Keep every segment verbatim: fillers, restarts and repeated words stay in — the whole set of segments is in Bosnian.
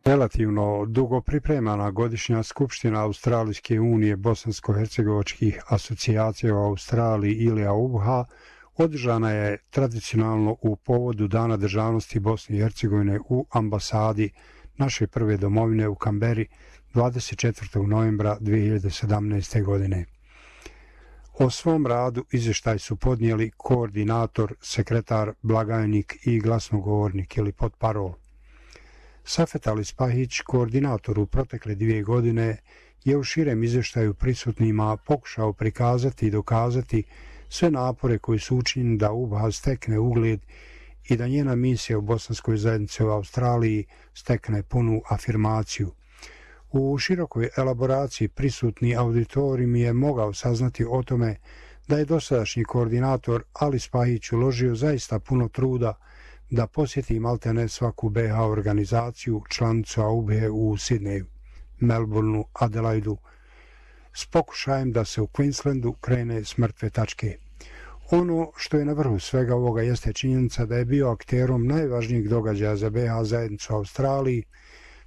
Relativno dugo pripremana godišnja skupština Australijske unije bosansko-hercegovačkih asocijacija u Australiji ili A U B H A održana je tradicionalno u povodu Dana državnosti Bosne i Hercegovine u ambasadi naše prve domovine u Kamberi dvadeset četvrtog novembra dvije hiljade sedamnaeste. godine. O svom radu izvještaj su podnijeli koordinator, sekretar, blagajnik i glasnogovornik ili potparol. Safet Ali Spahić, koordinator u protekle dvije godine, je u širem izvještaju prisutnima pokušao prikazati i dokazati sve napore koji su učinjeni da U B H A stekne ugled i da njena misija u bosanskoj zajednici u Australiji stekne punu afirmaciju. U širokoj elaboraciji prisutni auditorijum je mogao saznati o tome da je dosadašnji koordinator Ali Spahić uložio zaista puno truda da posjeti maltene svaku B H organizaciju, članicu A U B H A u Sidneju, Melbourneu, Adelaidu, s pokušajem da se u Queenslandu krene s mrtve tačke. Ono što je na vrhu svega ovoga jeste činjenica da je bio akterom najvažnijeg događaja za B H zajednicu u Australiji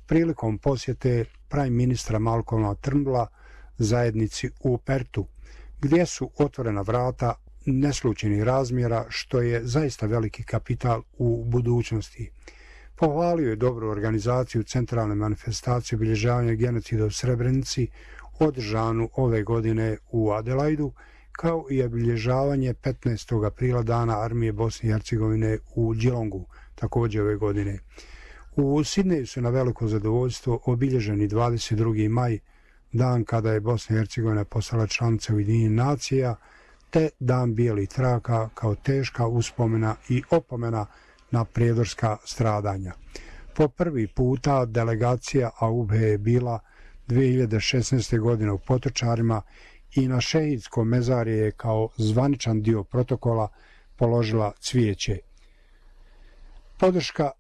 prilikom posjete prime ministra Malcolma Turnbulla zajednici u Pertu, gdje su otvorena vrata neslučajnih razmjera, što je zaista veliki kapital u budućnosti. Pohvalio je dobru organizaciju centralne manifestacije obilježavanja genocida u Srebrenici, održanu ove godine u Adelaidu, kao i obilježavanje petnaestog aprila Dana armije Bosne i Hercegovine u Geelongu, također ove godine. U Sidneju su na veliko zadovoljstvo obilježeni dvadeset drugi maj, dan kada je Bosna i Hercegovina postala članica Ujedinjenih nacija, te Dan bijelih traka kao teška uspomena i opomena na prijedorska stradanja. Po prvi puta delegacija A U B H A je bila dvije hiljade šesnaeste. godine u Potočarima i na šehidskom mezarje je kao zvaničan dio protokola položila cvijeće. Podrška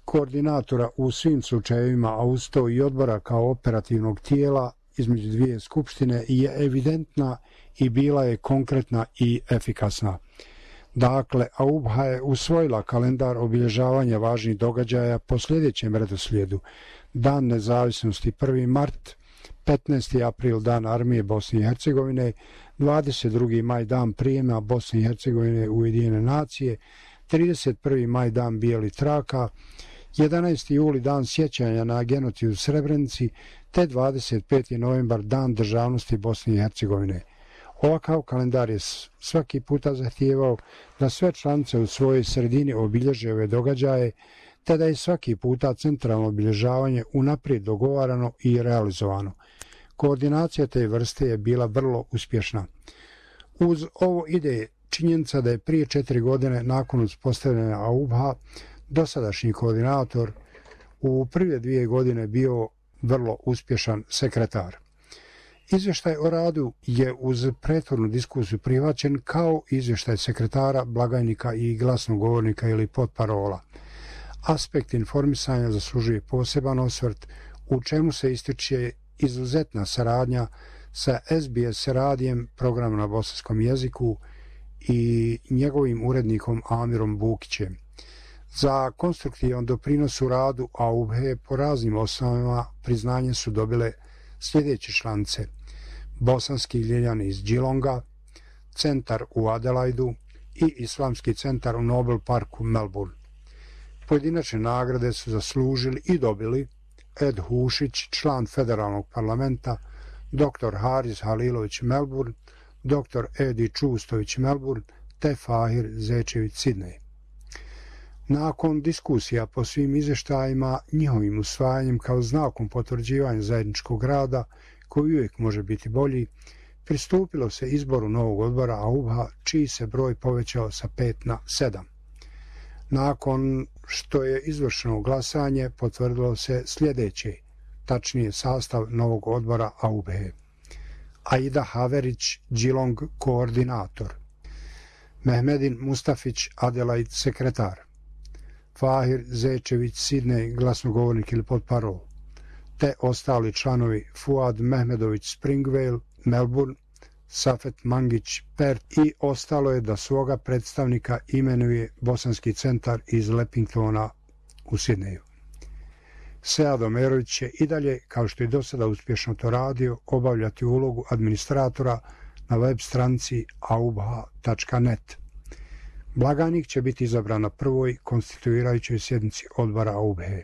koordinatora u svim slučajevima, a uz to i odbora kao operativnog tijela između dvije skupštine je evidentna i bila je konkretna i efikasna. Dakle, A U B H A je usvojila kalendar obilježavanja važnih događaja po sljedećem redoslijedu: Dan nezavisnosti prvi mart, petnaesti april Dan armije Bosne i Hercegovine, dvadeset drugi maj Dan prijema Bosne i Hercegovine u Ujedinjene nacije, trideset prvi maj Dan bijelih traka, jedanaesti juli Dan sjećanja na genocid u Srebrenici, te dvadeset peti novembar Dan državnosti Bosne i Hercegovine. Ovakav kalendar je svaki puta zahtijevao da sve članice u svojoj sredini obilježe ove događaje, te da je svaki puta centralno obilježavanje unaprijed dogovarano i realizovano. Koordinacija te vrste je bila vrlo uspješna. Uz ovo ide činjenica da je prije četiri godine nakon uspostavljanja A U B H A dosadašnji koordinator u prve dvije godine bio vrlo uspješan sekretar. Izvještaj o radu je uz prethodnu diskusiju prihvaćen kao izvještaj sekretara, blagajnika i glasnogovornika ili potparola. Aspekt informisanja zaslužuje poseban osvrt, u čemu se ističe izuzetna saradnja sa S B S radijem, programom na bosanskom jeziku, i njegovim urednikom Amirom Bukićem. Za konstruktivan doprinos u radu A U B H A po raznim osnovama priznanje su dobile sljedeće članice: Bosanski ljeljani iz Geelonga, centar u Adelaidu i Islamski centar u Nobel Parku Melbourne. Pojedinačne nagrade su zaslužili i dobili Ed Hušić, član federalnog parlamenta, doktor Haris Halilović Melbourne, doktor Edi Čustović Melbourne, te Fahir Zečević Sidnej. Nakon diskusija po svim izvještajima, njihovim usvajanjem kao znakom potvrđivanja zajedničkog rada, koji uvijek može biti bolji, pristupilo se izboru novog odbora A U B H A, čiji se broj povećao sa pet na sedam. Nakon što je izvršeno glasanje, potvrdilo se sljedeće, tačnije sastav novog odbora A U B H A. Aida Haverić, Geelong, koordinator; Mehmedin Mustafić, Adelaide, sekretar; Fahir Zečević Sidnej, glasnogovornik ili potparol; te ostali članovi Fuad Mehmedović Springvale, Melbourne, Safet Mangić, Perth, i ostalo je da svoga predstavnika imenuje Bosanski centar iz Lepingtona u Sidneju. Sead Omerović će i dalje, kao što je do sada uspješno to radio, obavljati ulogu administratora na web stranici aubha tačka net. Blaganik će biti izabran na prvoj konstituirajućoj sjednici odbora Aubhe.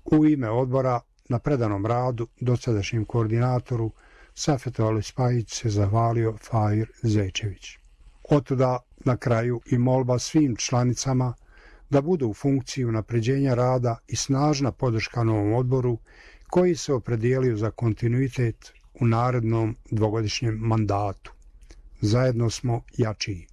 U ime odbora na predanom radu dosadašnjem koordinatoru Safetu Alispajić se zahvalio Fahir Zečević. Otuda na kraju i molba svim članicama da budu u funkciji unapređenja rada i snažna podrška novom odboru koji se opredijelio za kontinuitet u narednom dvogodišnjem mandatu. Zajedno smo jačiji.